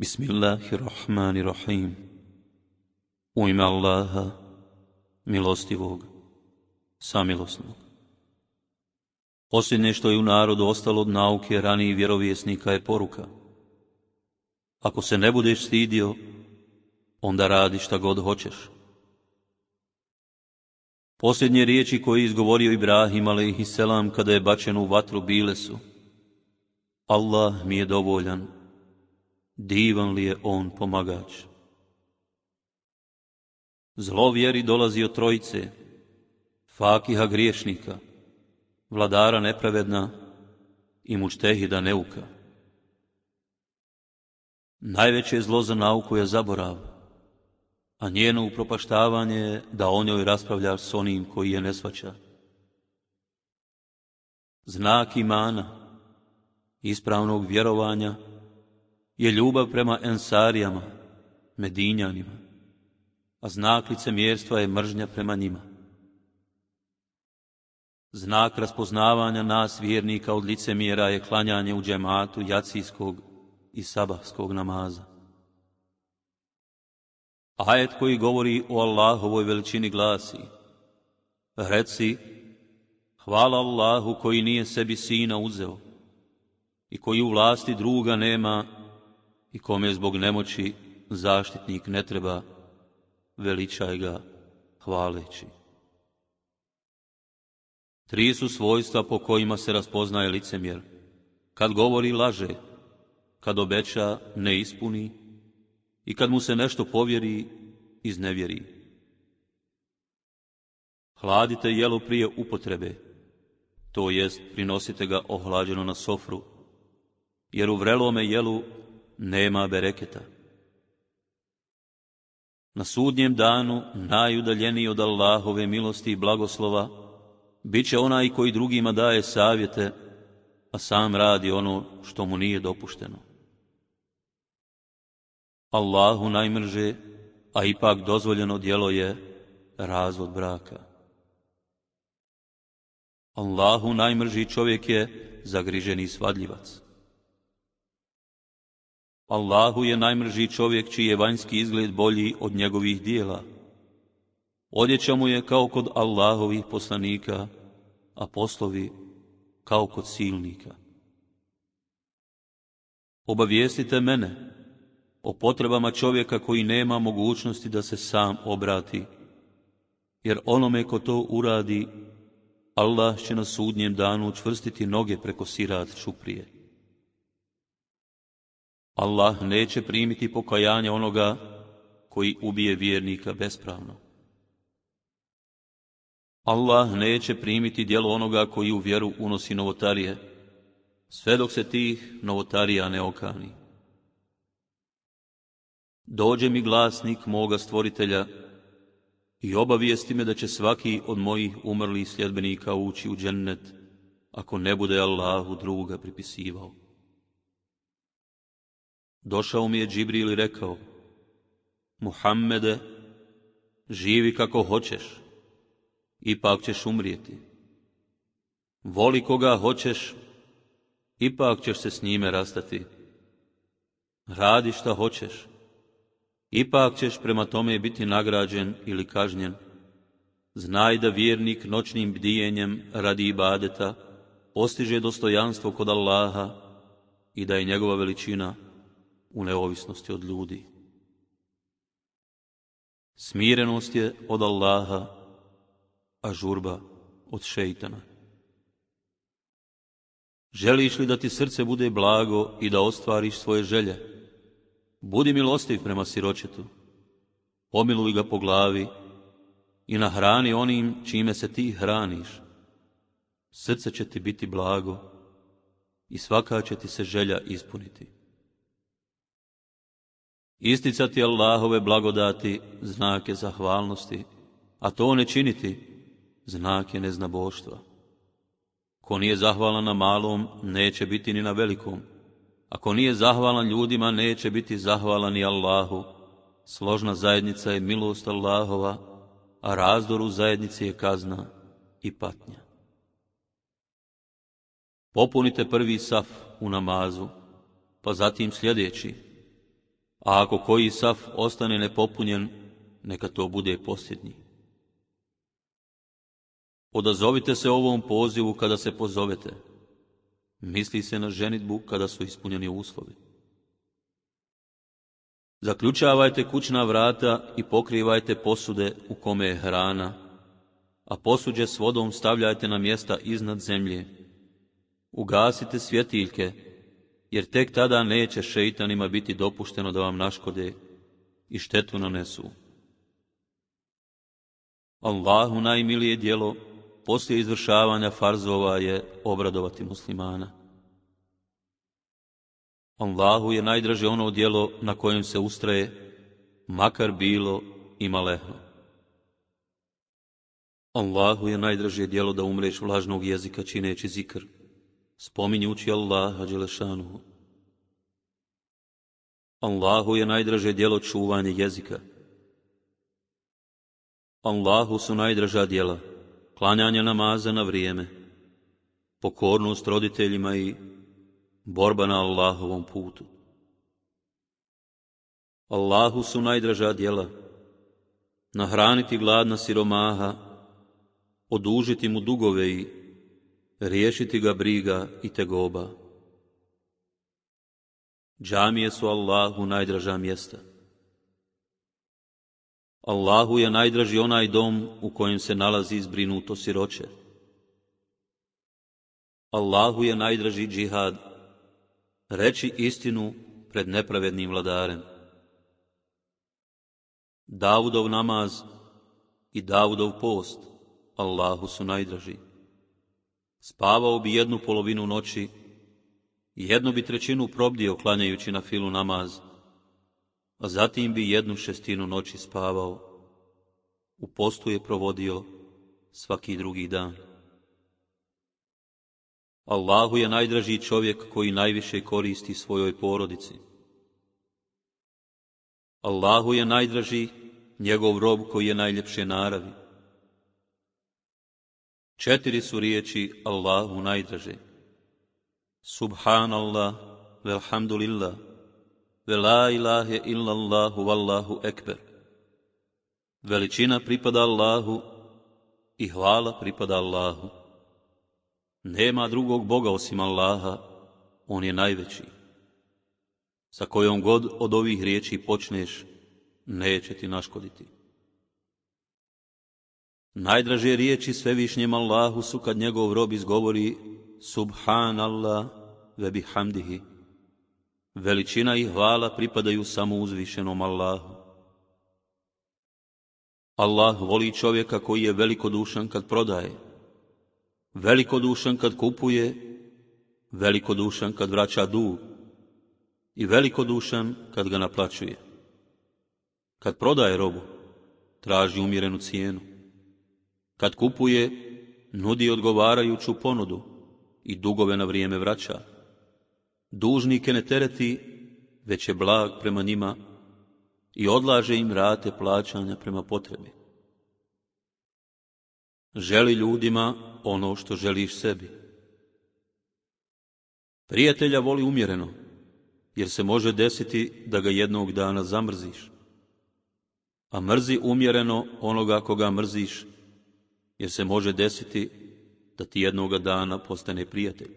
Bismillahirrahmanirrahim. U ime Allaha, milostivog, samilosnog. Posljednje što je u narodu ostalo od nauke ranijih vjerovjesnika je poruka. Ako se ne budeš stidio, onda radi šta god hoćeš. Posljednje riječi koje je izgovorio Ibrahim a.s. kada je bačen u vatru bile su: Allah mi je dovoljan, divan li je on pomagač. Zlo vjeri dolazi od trojice, fakiha griješnika, vladara nepravedna i mučtehida neuka. Najveće zlo za nauku je zaborav, a njeno upropaštavanje je da o njoj raspravljaš s onim koji je ne shvaća. Znak imana, ispravnog vjerovanja, je ljubav prema Ensarijama, Medinjanima, a znak licemjerstva je mržnja prema njima. Znak raspoznavanja nas vjernika od licemjera je klanjanje u džematu jacijskog i sabahskog namaza. Ajet koji govori o Allahovoj veličini glasi: reci, hvala Allahu koji nije sebi sina uzeo i koji u vlasti druga nema i kome zbog nemoći zaštitnik ne treba, veličaj ga hvaleći. 3 su svojstva po kojima se raspoznaje licemjer: kad govori laže, kad obeća ne ispuni i kad mu se nešto povjeri iznevjeri. Hladite jelo prije upotrebe, to jest prinosite ga ohlađeno na sofru, jer u vrelome jelu nema bereketa. Na sudnjem danu najudaljeniji od Allahove milosti i blagoslova bit će onaj koji drugima daje savjete, a sam radi ono što mu nije dopušteno. Allahu najmrže, a ipak dozvoljeno djelo je razvod braka. Allahu najmrži čovjek je zagriženi svadljivac. Allahu je najmrži čovjek čiji je vanjski izgled bolji od njegovih dijela. Odjeća mu je kao kod Allahovih poslanika, a poslovi kao kod silnika. Obavijestite mene o potrebama čovjeka koji nema mogućnosti da se sam obrati, jer onome ko to uradi, Allah će na sudnjem danu učvrstiti noge preko sirat čuprije. Allah neće primiti pokajanje onoga koji ubije vjernika bespravno. Allah neće primiti djelo onoga koji u vjeru unosi novotarije, sve dok se tih novotarija ne okani. Dođe mi glasnik moga stvoritelja i obavijesti me da će svaki od mojih umrlih sljedbenika ući u džennet, ako ne bude Allahu druga pripisivao. Došao mi je Džibril i rekao: Muhammede, živi kako hoćeš, ipak ćeš umrijeti. Voli koga hoćeš, ipak ćeš se s njime rastati. Radi šta hoćeš, ipak ćeš prema tome biti nagrađen ili kažnjen. Znaj da vjernik noćnim bdijenjem radi ibadeta postiže dostojanstvo kod Allaha i da je njegova veličina u neovisnosti od ljudi. Smirenost je od Allaha, a žurba od šeitana. Želiš li da ti srce bude blago i da ostvariš svoje želje? Budi milostiv prema siročetu, pomiluj ga po glavi i nahrani onim čime se ti hraniš. Srce će ti biti blago i svaka će ti se želja ispuniti. Isticati Allahove blagodati znak je zahvalnosti, a to ne činiti znak je neznaboštva. Ko nije zahvalan na malom, neće biti ni na velikom. Ako nije zahvalan ljudima, neće biti zahvalan ni Allahu. Složna zajednica je milost Allahova, a razdor u zajednici je kazna i patnja. Popunite prvi saf u namazu, pa zatim sljedeći, a ako koji saf ostane nepopunjen, neka to bude posljednji. Odazovite se ovom pozivu kada se pozovete. Misli se na ženidbu kada su ispunjeni uslovi. Zaključavajte kućna vrata i pokrivajte posude u kome je hrana, a posuđe s vodom stavljajte na mjesta iznad zemlje. Ugasite svjetiljke, jer tek tada neće šeitanima biti dopušteno da vam naškode i štetu nanesu. Allahu najmilije djelo poslije izvršavanja farzova je obradovati muslimana. Allahu je najdraže ono djelo na kojem se ustraje, makar bilo i malehno. Allahu je najdraže djelo da umreš vlažnog jezika čineći zikr, spominjući Allaha dželešanuhu. Allahu je najdraže djelo čuvanje jezika. Allahu su najdraža djela klanjanje namaza na vrijeme, pokornost roditeljima i borba na Allahovom putu. Allahu su najdraža djela nahraniti gladna siromaha, odužiti mu dugove i riješiti ga briga i tegoba. Džamije su Allahu najdraža mjesta. Allahu je najdraži onaj dom u kojem se nalazi zbrinuto siroče. Allahu je najdraži džihad, reći istinu pred nepravednim vladarem. Davudov namaz i Davudov post Allahu su najdraži. Spavao bi 1/2 noći, 1/3 probdio klanjajući na filu namaz, a zatim bi 1/6 noći spavao. U postu je provodio svaki drugi dan. Allahu je najdraži čovjek koji najviše koristi svojoj porodici. Allahu je najdraži njegov rob koji je najljepše naravi. 4 su riječi Allahu najdraže. Subhanallah, velhamdulillah, ve la ilahe illallahu, vallahu ekber. Veličina pripada Allahu i hvala pripada Allahu. Nema drugog Boga osim Allaha, on je najveći. Sa kojom god od ovih riječi počneš, neće ti naškoditi. Najdraže riječi svevišnjem Allahu su kad njegov rob izgovori Subhanallah ve bihamdihi. Veličina i hvala pripadaju samo uzvišenom Allahu. Allah voli čovjeka koji je velikodušan kad prodaje, velikodušan kad kupuje, velikodušan kad vraća dug i velikodušan kad ga naplaćuje. Kad prodaje robu, traži umjerenu cijenu. Kad kupuje, nudi odgovarajuću ponudu i dugove na vrijeme vraća. Dužnike ne tereti, već je blag prema njima i odlaže im rate plaćanja prema potrebi. Želi ljudima ono što želiš sebi. Prijatelja voli umjereno, jer se može desiti da ga jednog dana zamrziš. A mrzi umjereno onoga koga mrziš, jer se može desiti da ti jednoga dana postane prijatelj.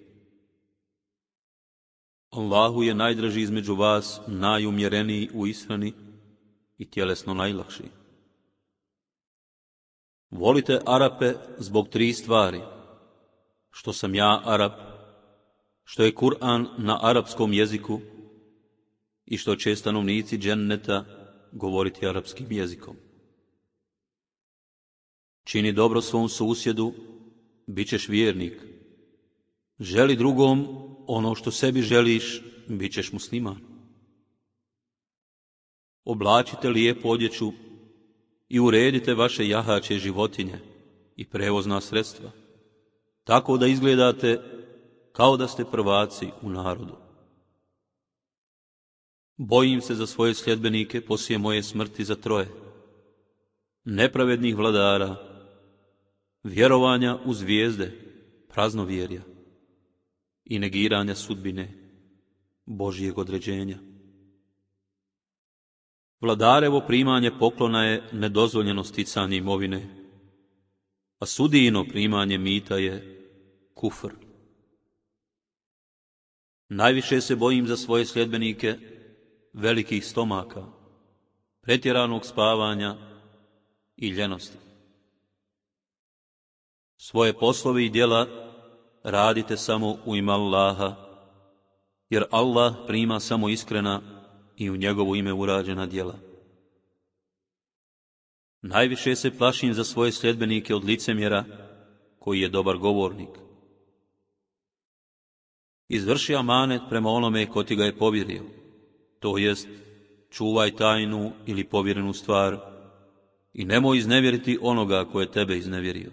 Allahu je najdraži između vas, najumjereniji u ishrani i tjelesno najlakši. Volite Arape zbog 3 stvari. Što sam ja Arap, što je Kur'an na arapskom jeziku i što će stanovnici dženneta govoriti arapskim jezikom. Čini dobro svom susjedu, bit ćeš vjernik. Želi drugom ono što sebi želiš, bit ćeš musliman. Oblačite lijepu odjeću i uredite vaše jahaće životinje i prevozna sredstva, tako da izgledate kao da ste prvaci u narodu. Bojim se za svoje sljedbenike poslije moje smrti za 3: nepravednih vladara, vjerovanja u zvijezde, praznovjerja i negiranja sudbine Božjeg određenja. Vladarevo primanje poklona je nedozvoljeno sticanje imovine, a sudijino primanje mita je kufr. Najviše se bojim za svoje sljedbenike velikih stomaka, pretjeranog spavanja i ljenosti. Svoje poslove i djela radite samo u ime Allaha, jer Allah prima samo iskrena i u njegovo ime urađena djela. Najviše se plašim za svoje sljedbenike od licemjera, koji je dobar govornik. Izvrši amanet prema onome ko ti ga je povjerio, to jest čuvaj tajnu ili povjerenu stvar i nemoj iznevjeriti onoga ko je tebe iznevjerio.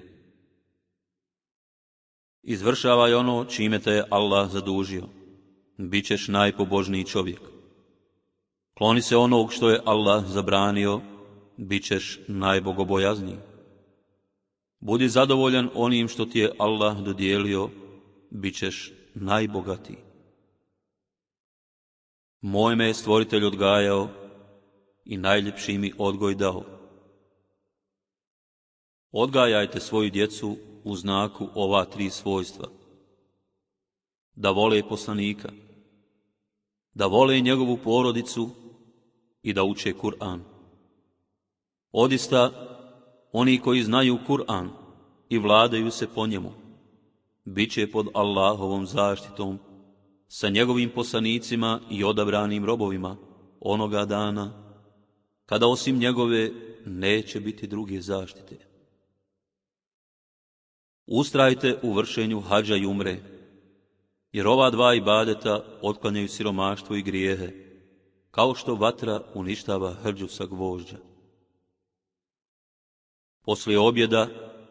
Izvršavaj ono čime te je Allah zadužio, bit ćeš najpobožniji čovjek. Kloni se onog što je Allah zabranio, bit ćeš najbogobojazniji. Budi zadovoljan onim što ti je Allah dodijelio, bit ćeš najbogatiji. Moj me je stvoritelj odgajao i najljepši mi odgoj dao. Odgajajte svoju djecu u znaku ova 3 svojstva. Da vole poslanika, da vole njegovu porodicu i da uče Kur'an. Odista, oni koji znaju Kur'an i vladaju se po njemu, bit će pod Allahovom zaštitom sa njegovim poslanicima i odabranim robovima onoga dana, kada osim njegove neće biti druge zaštite. Ustrajte u vršenju hadža i umre, jer ova 2 ibadeta otklanjaju siromaštvo i grijehe, kao što vatra uništava hrđu sa gvožđa. Poslije objeda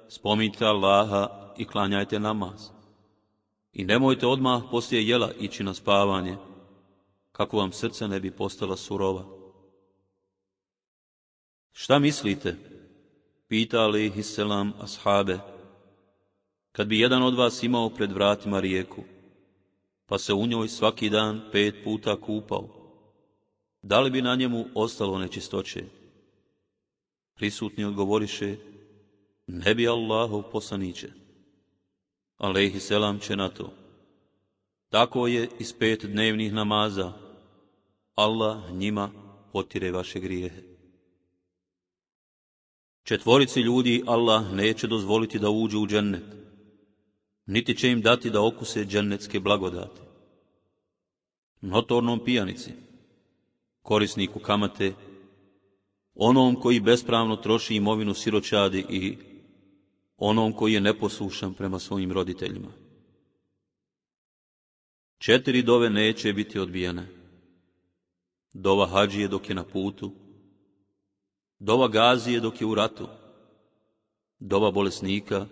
spominjte Allaha i klanjajte namaz. I nemojte odmah poslije jela ići na spavanje, kako vam srce ne bi postala surova. Šta mislite? Pita alejhiselam ashabe. Kad bi jedan od vas imao pred vratima rijeku, pa se u njoj svaki dan 5 puta kupao, da li bi na njemu ostalo nečistoće? Prisutni odgovoriše, ne bi Allahov poslaniće. Alejhiselam će na to, tako je iz 5 dnevnih namaza, Allah njima potire vaše grijehe. 4 ljudi Allah neće dozvoliti da uđu u džennet, niti će im dati da okuse džennetske blagodati. Notornom pijanici, korisniku kamate, onom koji bespravno troši imovinu siročadi i onom koji je neposlušan prema svojim roditeljima. 4 dove neće biti odbijene. Dova hadžije dok je na putu, dova gazije dok je u ratu, dova bolesnika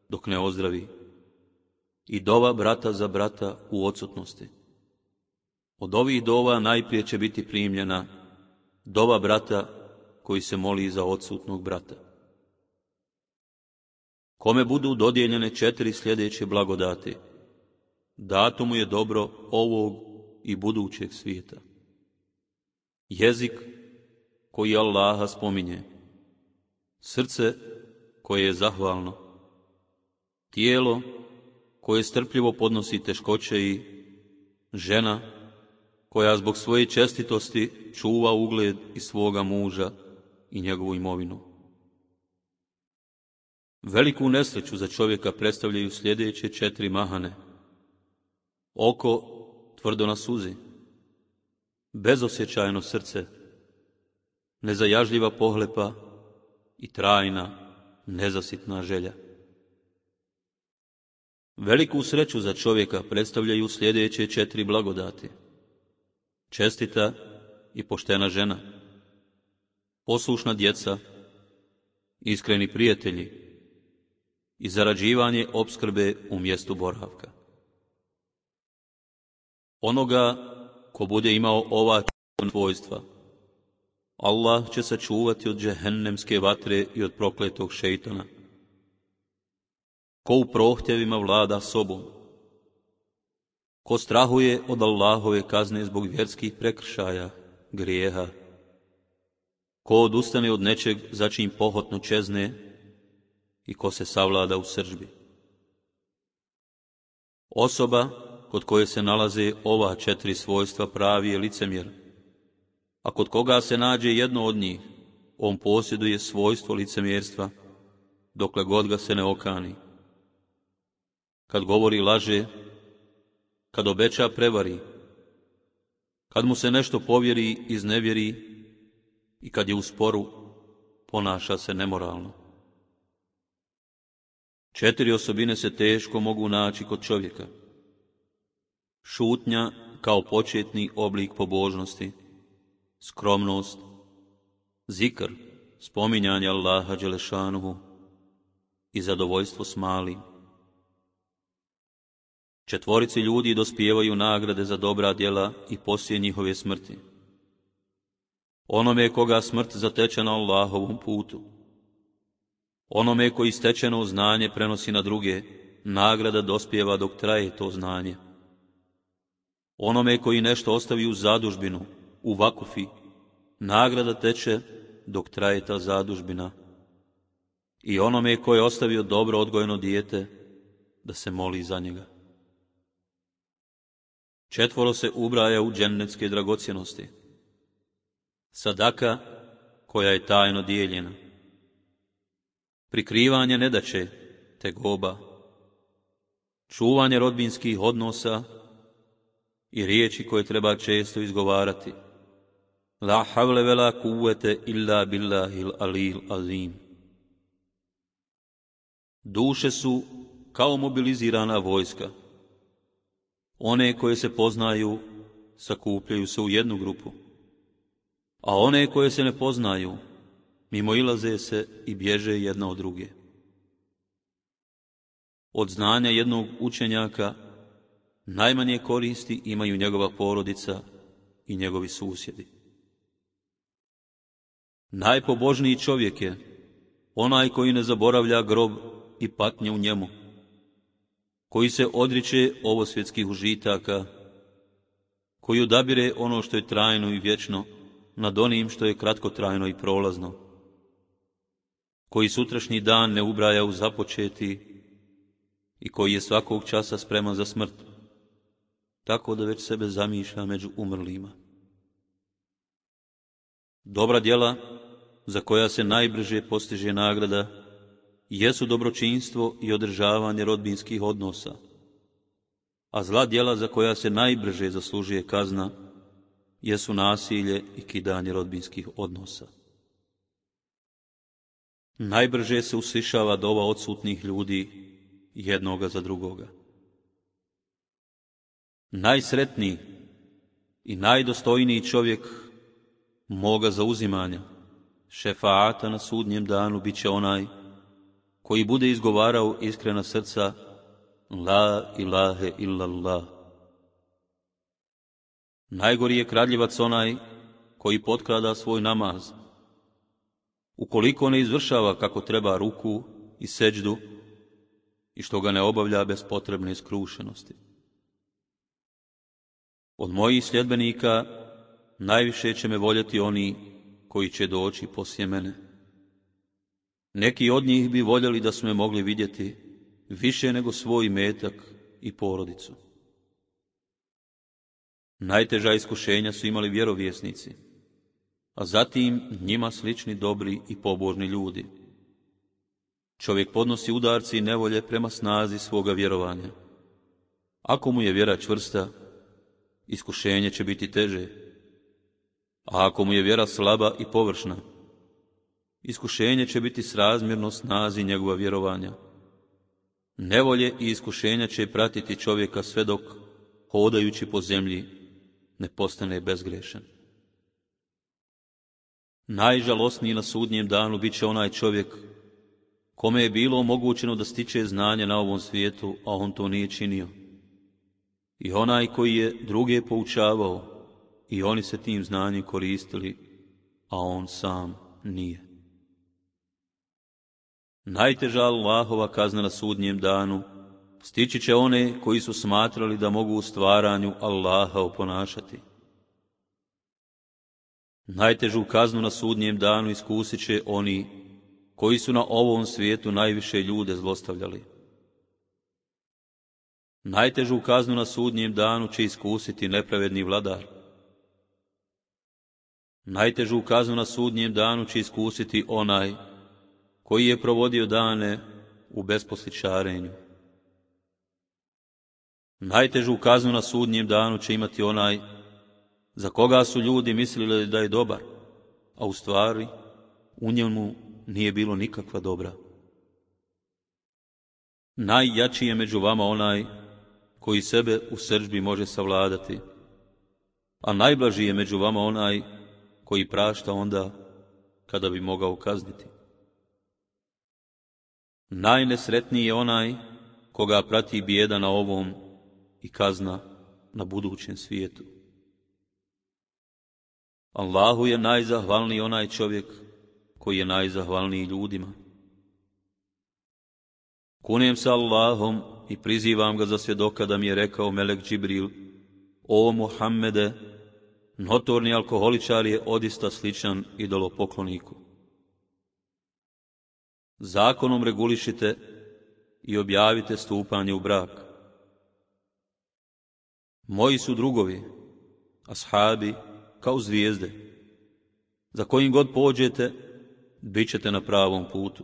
dok ne ozdravi i dova brata za brata u odsutnosti. Od ovih dova najprije će biti primljena dova brata koji se moli za odsutnog brata. Kome budu dodijeljene 4 sljedeće blagodati, dato mu je dobro ovog i budućeg svijeta. Jezik koji Allaha spominje, srce koje je zahvalno, tijelo koje strpljivo podnosi teškoće i žena koja zbog svoje čestitosti čuva ugled i svoga muža i njegovu imovinu. Veliku nesreću za čovjeka predstavljaju sljedeće 4 mahane. Oko tvrdo na suzi, bezosjećajno srce, nezajažljiva pohlepa i trajna, nezasitna želja. Veliku sreću za čovjeka predstavljaju sljedeće 4 blagodati. Čestita i poštena žena, poslušna djeca, iskreni prijatelji i zarađivanje opskrbe u mjestu boravka. Onoga ko bude imao ova 4 svojstva, Allah će sačuvati od džehennemske vatre i od prokletog šejtana. Ko u prohtjevima vlada sobom, ko strahuje od Allahove kazne zbog vjerskih prekršaja, grijeha ko odustane od nečeg za čim pohotno čezne i ko se savlada u srdžbi. Osoba kod koje se nalaze ova 4 svojstva pravi je licemjer, a kod koga se nađe jedno od njih, on posjeduje svojstvo licemjerstva, dokle god ga se ne okani. Kad govori laže, kad obeća prevari, kad mu se nešto povjeri iznevjeri i kad je u sporu ponaša se nemoralno. 4 osobine se teško mogu naći kod čovjeka. Šutnja kao početni oblik pobožnosti, skromnost, zikr, spominjanje Allaha dželešanuhu i zadovoljstvo s malim. 4 ljudi dospijevaju nagrade za dobra djela i poslije njihove smrti. Onome koga smrt zateče na Allahovom putu, onome koji stečeno znanje prenosi na druge, nagrada dospijeva dok traje to znanje. Onome koji nešto ostavi u zadužbinu, u vakufi, nagrada teče dok traje ta zadužbina. I onome koji je ostavio dobro odgojeno dijete, da se moli za njega. 4 se ubraja u džennetske dragocjenosti. Sadaka koja je tajno dijeljena. Prikrivanje nedaće, tegoba. Čuvanje rodbinskih odnosa i riječi koje treba često izgovarati. La havle vela kuvvete illa billahil alil azim. Duše su kao mobilizirana vojska. One koje se poznaju sakupljaju se u jednu grupu, a one koje se ne poznaju mimoilaze se i bježe jedna od druge. Od znanja jednog učenjaka najmanje koristi imaju njegova porodica i njegovi susjedi. Najpobožniji čovjek je onaj koji ne zaboravlja grob i patnje u njemu, koji se odriče ovosvjetskih užitaka, koji odabire ono što je trajno i vječno nad onim što je kratkotrajno i prolazno, koji sutrašnji dan ne ubraja u započeti i koji je svakog časa spreman za smrt, tako da već sebe zamišlja među umrlima. Dobra djela za koja se najbrže postiže nagrada jesu dobročinstvo i održavanje rodbinskih odnosa, a zla djela za koja se najbrže zaslužuje kazna jesu nasilje i kidanje rodbinskih odnosa. Najbrže se uslišava dova odsutnih ljudi jednoga za drugoga. Najsretniji i najdostojniji čovjek moga zauzimanja, šefaata na sudnjem danu, bit će onaj koji bude izgovarao iskrena srca La ilahe illallah. Najgori je kradljivac onaj koji potkrada svoj namaz, ukoliko ne izvršava kako treba ruku i seđdu i što ga ne obavlja bez potrebne skrušenosti. Od mojih sljedbenika najviše će me voljeti oni koji će doći poslije mene. Neki od njih bi voljeli da su me mogli vidjeti više nego svoj imetak i porodicu. Najteža iskušenja su imali vjerovjesnici, a zatim njima slični dobri i pobožni ljudi. Čovjek podnosi udarci i nevolje prema snazi svoga vjerovanja. Ako mu je vjera čvrsta, iskušenje će biti teže, a ako mu je vjera slaba i površna, iskušenje će biti srazmjerno snazi njegova vjerovanja. Nevolje i iskušenja će pratiti čovjeka sve dok, hodajući po zemlji, ne postane bezgrešan. Najžalosniji na sudnjem danu bit će onaj čovjek kome je bilo omogućeno da stiče znanje na ovom svijetu, a on to nije činio. I onaj koji je druge poučavao i oni se tim znanjem koristili, a on sam nije. Najteža Allahova kazna na sudnjem danu stići će one koji su smatrali da mogu u stvaranju Allaha oponašati. Najtežu kaznu na sudnjem danu iskusit će oni koji su na ovom svijetu najviše ljude zlostavljali. Najtežu kaznu na sudnjem danu će iskusiti nepravedni vladar. Najtežu kaznu na sudnjem danu će iskusiti onaj koji je provodio dane u besposličarenju. Najtežu kaznu na sudnjem danu će imati onaj za koga su ljudi mislili da je dobar, a u stvari u njemu nije bilo nikakva dobra. Najjači je među vama onaj koji sebe u srdžbi može savladati, a najblaži je među vama onaj koji prašta onda kada bi mogao kazniti. Najnesretniji je onaj koga prati bijeda na ovom i kazna na budućem svijetu. Allahu je najzahvalniji onaj čovjek koji je najzahvalniji ljudima. Kunem se Allahom i prizivam ga za svjedoka da mi je rekao melek Džibril: O Muhammede, notorni alkoholičar je odista sličan idolopokloniku. Zakonom regulišite i objavite stupanje u brak. Moji su drugovi, ashabi, kao zvijezde. Za kojim god pođete, bit ćete na pravom putu.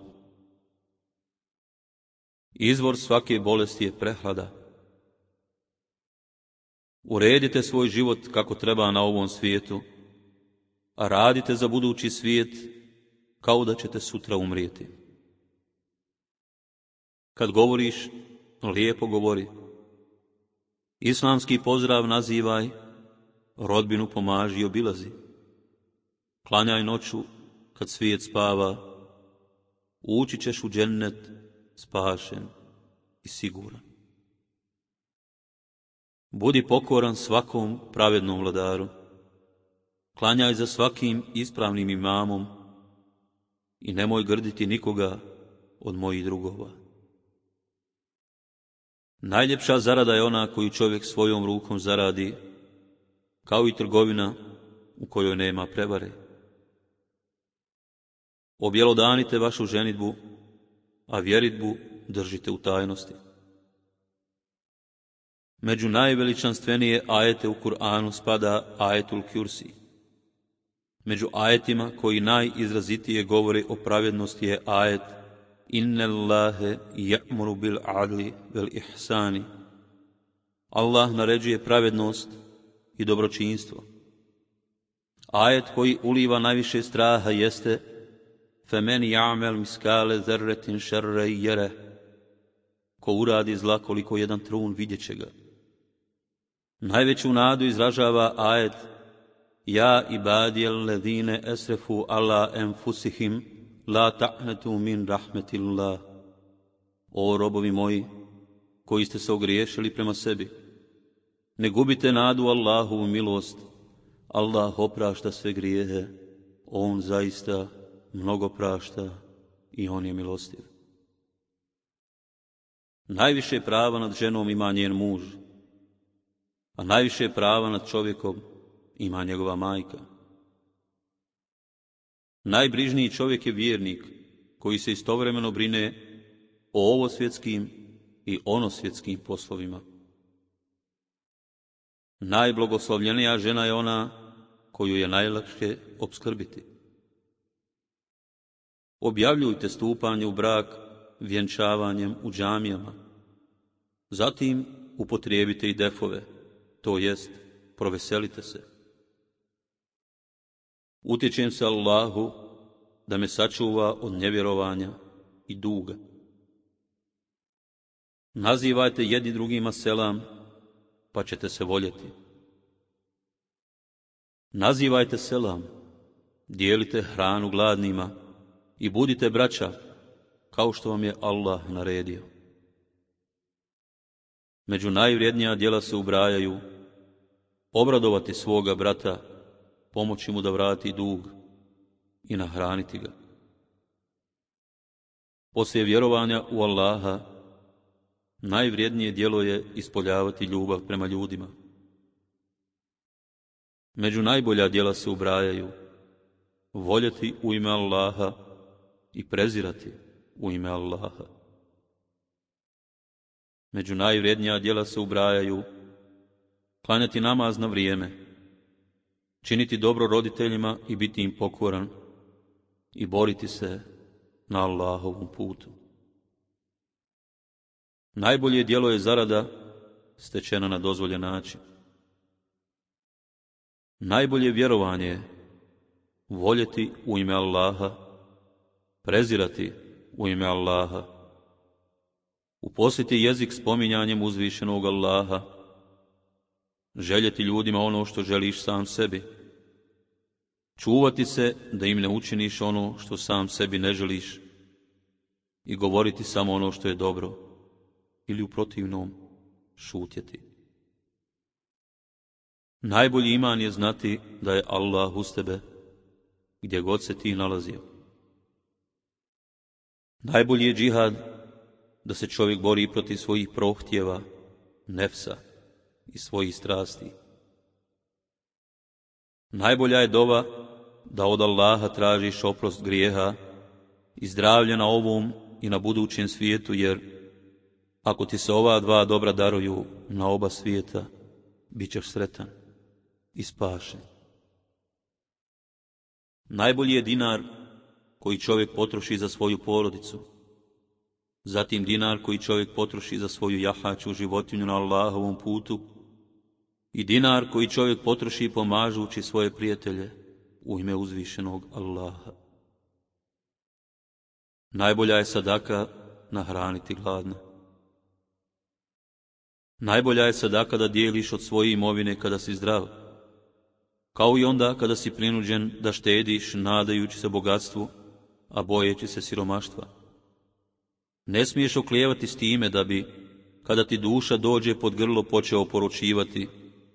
Izvor svake bolesti je prehlada. Uredite svoj život kako treba na ovom svijetu, a radite za budući svijet kao da ćete sutra umrijeti. Kad govoriš, lijepo govori. Islamski pozdrav nazivaj, rodbinu pomaži i obilazi. Klanjaj noću kad svijet spava, ući ćeš u džennet spašen i siguran. Budi pokoran svakom pravednom vladaru, klanjaj za svakim ispravnim imamom i nemoj grditi nikoga od mojih drugova. Najljepša zarada je ona koju čovjek svojom rukom zaradi, kao i trgovina u kojoj nema prevare. Objelodanite vašu ženidbu, a vjeritbu držite u tajnosti. Među najveličanstvenije ajete u Kur'anu spada ajetul Kursi. Među ajetima koji najizrazitije govore o pravednosti je ajet Inna Allahe ya'muru bil adli vel ihsani. Allah naređuje pravednost i dobročinstvo. Ajet koji uliva najviše straha jeste Femen ya'mel miskale zerretin šerre jere. Ko uradi zla koliko jedan trun vidjet će ga. Najveću nadu izražava ajet Ja ibadijel ledine esrefu ala enfusihim la ta'netu min rahmetillah. O robovi moji, koji ste se ogriješili prema sebi, ne gubite nadu Allahovu milost. Allah oprašta sve grijehe, on zaista mnogo prašta i on je milostiv. Najviše prava nad ženom ima njen muž, a najviše prava nad čovjekom ima njegova majka. Najbrižniji čovjek je vjernik koji se istovremeno brine o ovosvjetskim i onosvjetskim poslovima. Najblagoslovljenija žena je ona koju je najlakše opskrbiti. Objavljujte stupanje u brak vjenčavanjem u džamijama. Zatim upotrijebite i defove, to jest proveselite se. Utječem se Allahu da me sačuva od nevjerovanja i duga. Nazivajte jedni drugima selam, pa ćete se voljeti. Nazivajte selam, dijelite hranu gladnima i budite braća, kao što vam je Allah naredio. Među najvrijednija djela se ubrajaju obradovati svoga brata, pomoći mu da vrati dug i nahraniti ga. Poslije vjerovanja u Allaha, najvrijednije djelo je ispoljavati ljubav prema ljudima. Među najbolja djela se ubrajaju voljeti u ime Allaha i prezirati u ime Allaha. Među najvrijednija djela se ubrajaju klanjati namaz na vrijeme, činiti dobro roditeljima i biti im pokoran i boriti se na Allahovom putu. Najbolje djelo je zarada stečena na dozvoljen način. Najbolje vjerovanje je voljeti u ime Allaha, prezirati u ime Allaha, uposliti jezik spominjanjem uzvišenog Allaha, željeti ljudima ono što želiš sam sebi, čuvati se da im ne učiniš ono što sam sebi ne želiš i govoriti samo ono što je dobro ili u protivnom šutjeti. Najbolji iman je znati da je Allah uz tebe gdje god se ti nalazio. Najbolji je džihad da se čovjek bori protiv svojih prohtjeva, nefsa i svojih strasti. Najbolja je dova da od Allaha tražiš oprost grijeha i zdravlje na ovom i na budućem svijetu, jer ako ti se ova dva dobra daruju na oba svijeta, bit ćeš sretan i spašen. Najbolji je dinar koji čovjek potroši za svoju porodicu, zatim dinar koji čovjek potroši za svoju jahaču životinju na Allahovom putu i dinar koji čovjek potroši pomažući svoje prijatelje u ime uzvišenog Allaha. Najbolja je sadaka nahraniti gladne. Najbolja je sadaka da dijeliš od svoje imovine kada si zdrav, kao i onda kada si prinuđen da štediš nadajući se bogatstvu, a bojeći se siromaštva. Ne smiješ oklijevati s time da bi, kada ti duša dođe pod grlo, počeo poručivati: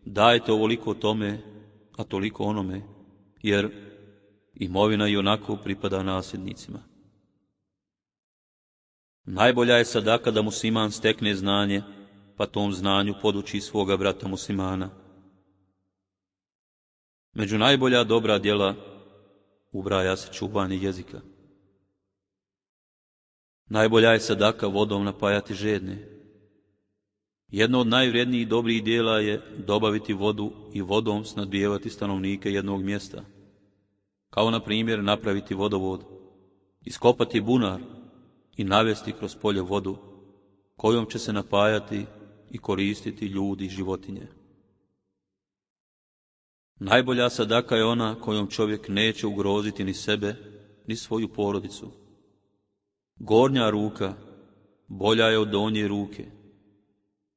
dajte ovoliko tome, a toliko onome, jer imovina i onako pripada nasljednicima. Najbolja je sadaka da musliman stekne znanje, pa tom znanju poduči svoga brata muslimana. Među najbolja dobra djela ubraja se čuvanje jezika. Najbolja je sadaka vodom napajati žedne. Jedno od najvrijednijih dobrih djela je dobaviti vodu i vodom snadbijevati stanovnike jednog mjesta, kao na primjer napraviti vodovod, iskopati bunar i navesti kroz polje vodu, kojom će se napajati i koristiti ljudi i životinje. Najbolja sadaka je ona kojom čovjek neće ugroziti ni sebe, ni svoju porodicu. Gornja ruka bolja je od donje ruke.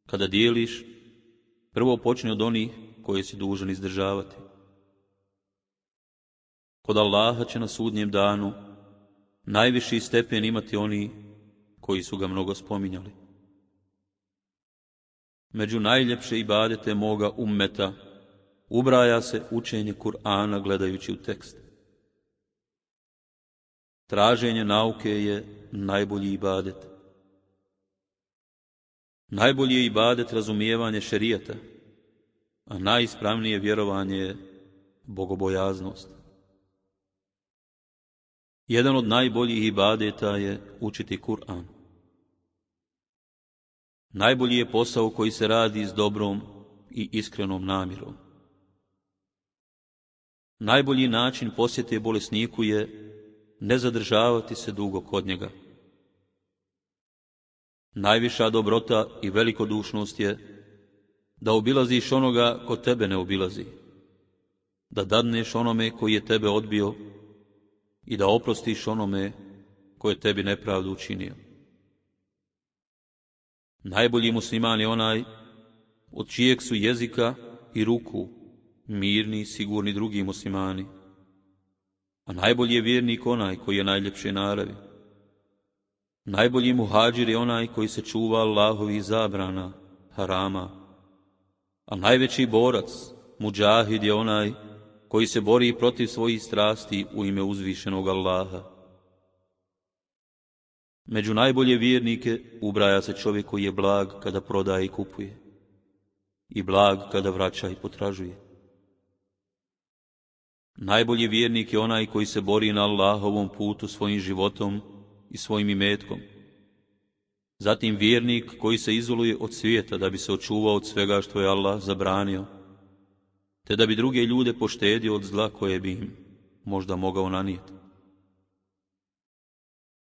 Kada dijeliš, prvo počni od onih koje si dužan izdržavati. Kod Allaha će na sudnjem danu najviši stepen imati oni koji su ga mnogo spominjali. Među najljepše ibadete moga ummeta ubraja se učenje Kur'ana gledajući u tekst. Traženje nauke je najbolji ibadet. Najbolji je ibadet razumijevanje šerijata, a najispravnije vjerovanje je bogobojaznost. Jedan od najboljih ibadeta je učiti Kur'an. Najbolji je posao koji se radi s dobrom i iskrenom namjerom. Najbolji način posjete bolesniku je ne zadržavati se dugo kod njega. Najviša dobrota i velikodušnost je da obilaziš onoga ko tebe ne obilazi, da dadneš onome koji je tebe odbio i da oprostiš onome koji je tebi nepravdu učinio. Najbolji musliman je onaj od čijeg su jezika i ruku mirni i sigurni drugi muslimani, a najbolji je vjernik onaj koji je najljepše naravi. Najbolji muhađir je onaj koji se čuva Allahovih zabrana, harama, a najveći borac, muđahid, je onaj koji se bori protiv svojih strasti u ime uzvišenog Allaha. Među najbolje vjernike ubraja se čovjek koji je blag kada prodaje i kupuje, i blag kada vraća i potražuje. Najbolji vjernik je onaj koji se bori na Allahovom putu svojim životom i svojim imetkom. Zatim vjernik koji se izoluje od svijeta da bi se očuvao od svega što je Allah zabranio, te da bi druge ljude poštedio od zla koje bi im možda mogao nanijeti.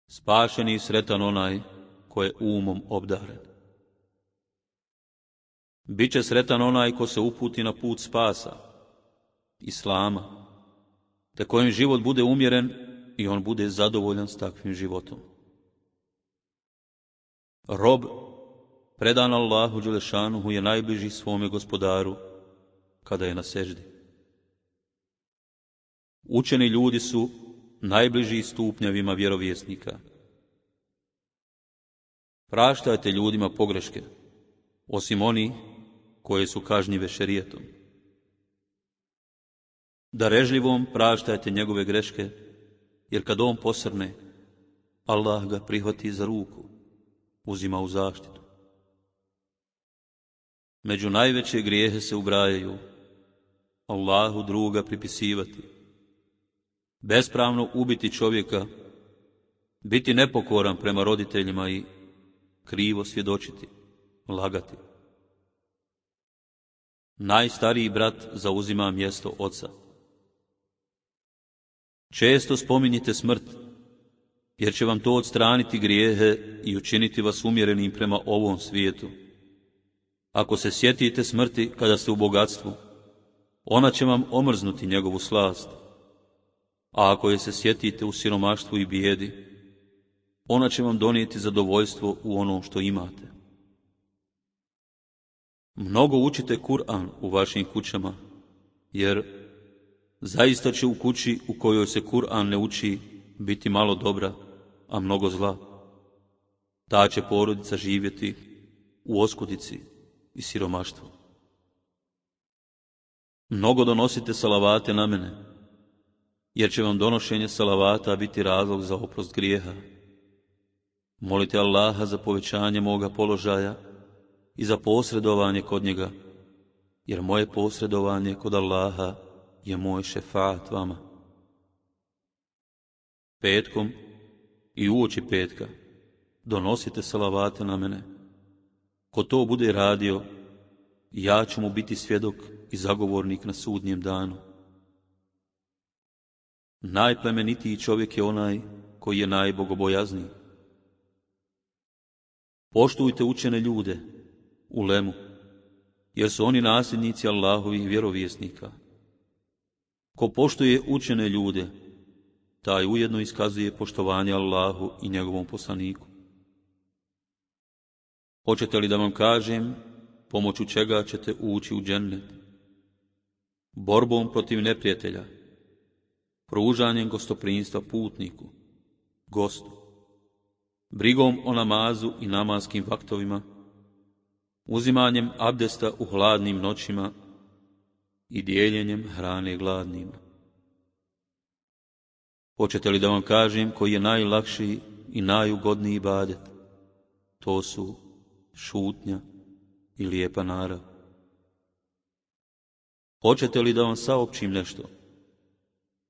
Spašen i sretan onaj ko je umom obdaren. Biće sretan onaj ko se uputi na put spasa, Islama, te kojem život bude umjeren i on bude zadovoljan s takvim životom. Rob, predan Allahu Đelešanuhu, je najbliži svome gospodaru kada je na seždi. Učeni ljudi su najbliži stupnjevima vjerovjesnika. Praštajte ljudima pogreške, osim oni koje su kažnjive šerijetom. Darežljivom praštajte njegove greške, jer kad on posrne, Allah ga prihvati za ruku, uzima u zaštitu. Među najveće grijehe se ubrajaju Allahu druga pripisivati, bespravno ubiti čovjeka, biti nepokoran prema roditeljima i krivo svjedočiti, lagati. Najstariji brat zauzima mjesto oca. Često spominjite smrt, jer će vam to odstraniti grijehe i učiniti vas umjerenim prema ovom svijetu. Ako se sjetite smrti kada ste u bogatstvu, ona će vam omrznuti njegovu slast. A ako je se sjetite u siromaštvu i bijedi, ona će vam donijeti zadovoljstvo u onom što imate. Mnogo učite Kur'an u vašim kućama, jer zaista će u kući u kojoj se Kur'an ne uči biti malo dobra, a mnogo zla. Ta će porodica živjeti u oskudici i siromaštvu. Mnogo donosite salavate na mene, jer će vam donošenje salavata biti razlog za oprost grijeha. Molite Allaha za povećanje moga položaja i za posredovanje kod njega, jer moje posredovanje kod Allaha je moj šefaat vama. Petkom i uoči petka donosite salavate na mene. Ko to bude radio, ja ću mu biti svjedok i zagovornik na sudnjem danu. Najplemenitiji čovjek je onaj koji je najbogobojazniji. Poštujte učene ljude, ulemu, jer su oni nasljednici Allahovih vjerovjesnika. Ko poštuje učene ljude, taj ujedno iskazuje poštovanje Allahu i njegovom poslaniku. Hoćete li da vam kažem pomoću čega ćete ući u džennet? Borbom protiv neprijatelja, pružanjem gostoprimstva putniku, gostu, brigom o namazu i namanskim vaktovima, uzimanjem abdesta u hladnim noćima i dijeljenjem hrane gladnima. Hoćete li da vam kažem koji je najlakši i najugodniji ibadet? To su šutnja i lijepa narav. Hoćete li da vam saopćim nešto?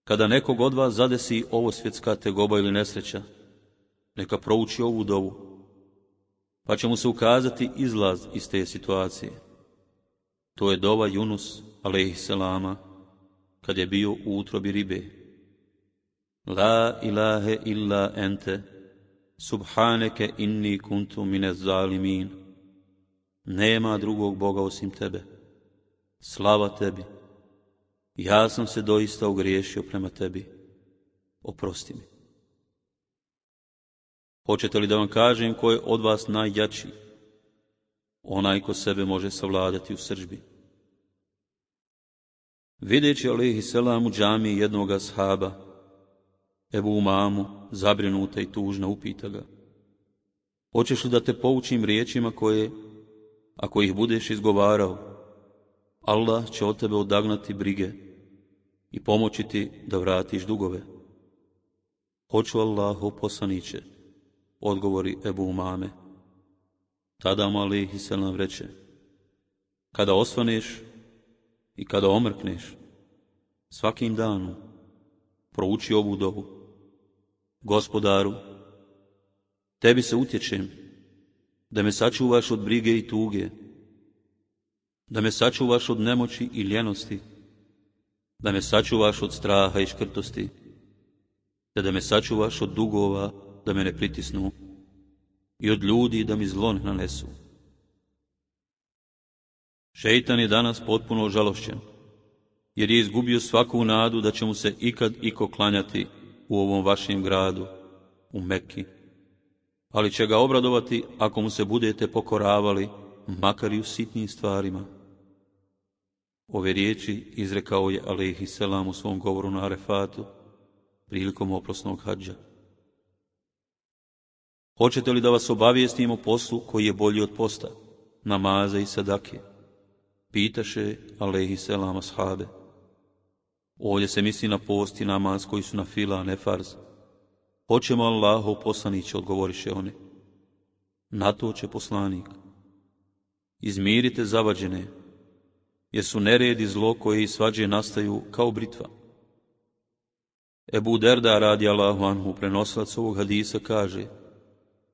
Kada nekog od vas zadesi ovo svjetska tegoba ili nesreća, neka prouči ovu dovu, pa će mu se ukazati izlaz iz te situacije. To je dova Yunus, alejhisselama, kad je bio u utrobi ribe. La ilahe illa ente, subhaneke inni kuntu mine zalimin. Nema drugog Boga osim tebe. Slava tebi. Ja sam se doista ogriješio prema tebi. Oprosti mi. Hoćete li da vam kažem ko je od vas najjači? Onaj ko sebe može savladati u srdžbi. Videći alejhisselam u džamiji jednog ashaba, Ebu Umamu, zabrinuta i tužna, upita ga: hoćeš li da te poučim riječima koje, ako ih budeš izgovarao, Allah će od tebe odagnati brige i pomoći ti da vratiš dugove? Hoću, Allahov poslaniće, odgovori Ebu Umame. Tada mu alejhisselam reče: kada osvaneš i kada omrkneš, svakim danom prouči ovu dovu. Gospodaru, tebi se utječem, da me sačuvaš od brige i tuge, da me sačuvaš od nemoći i ljenosti, da me sačuvaš od straha i škrtosti, te da me sačuvaš od dugova da me ne pritisnu i od ljudi da mi zlo ne nanesu. Šeitan je danas potpuno ožalošćen, jer je izgubio svaku nadu da će mu se ikad iko klanjati u ovom vašem gradu, u Mekki, ali će ga obradovati ako mu se budete pokoravali, makar i u sitnim stvarima. Ove riječi izrekao je alejhiselam u svom govoru na Arefatu prilikom oprosnog hadža. Hoćete li da vas obavijestim o poslu koji je bolji od posta, namaza i sadake? Pitaše alejhiselam ashabe. Ovdje se misli na post i namaz koji su na fila, a ne farz. Hoćemo Allahov poslaniće, odgovoriše oni. Na to će poslanik. Izmirite zavađene, jer su nered i zlo koje i svađe nastaju kao britva. Ebu Derda radijallahu anhu, prenosilac ovog hadisa, kaže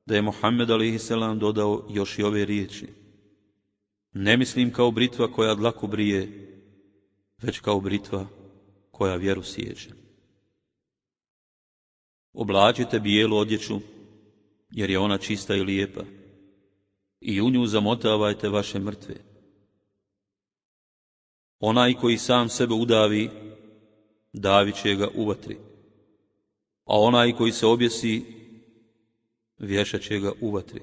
da je Muhammed alejhiselam dodao još i ove riječi. Ne mislim kao britva koja dlaku brije, već kao britva koja vjeru siječe. Oblačite bijelu odjeću, jer je ona čista i lijepa, i u nju zamotavajte vaše mrtve. Onaj koji sam sebe udavi, davit će ga u vatri, a onaj koji se objesi, vješat će ga u vatri.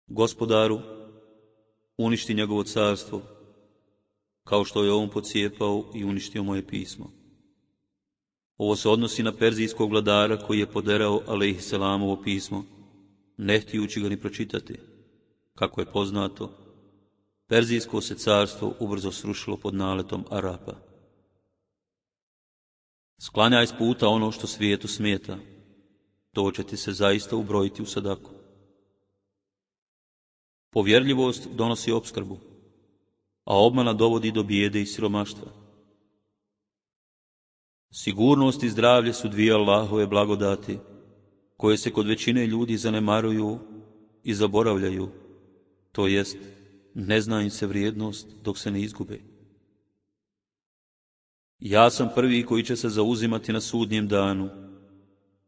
Gospodaru, uništi njegovo carstvo, kao što je on pocijepao i uništio moje pismo. Ovo se odnosi na perzijskog vladara koji je poderao alejhiselamovo pismo, ne htijući ga ni pročitati. Kako je poznato, perzijsko se carstvo ubrzo srušilo pod naletom Arapa. Sklanjaj s puta ono što svijetu smeta, to će ti se zaista ubrojiti u sadaku. Povjerljivost donosi opskrbu, a obmana dovodi do bijede i siromaštva. Sigurnost i zdravlje su dvije Allahove blagodati, koje se kod većine ljudi zanemaruju i zaboravljaju, to jest ne zna im se vrijednost dok se ne izgube. Ja sam prvi koji će se zauzimati na sudnjem danu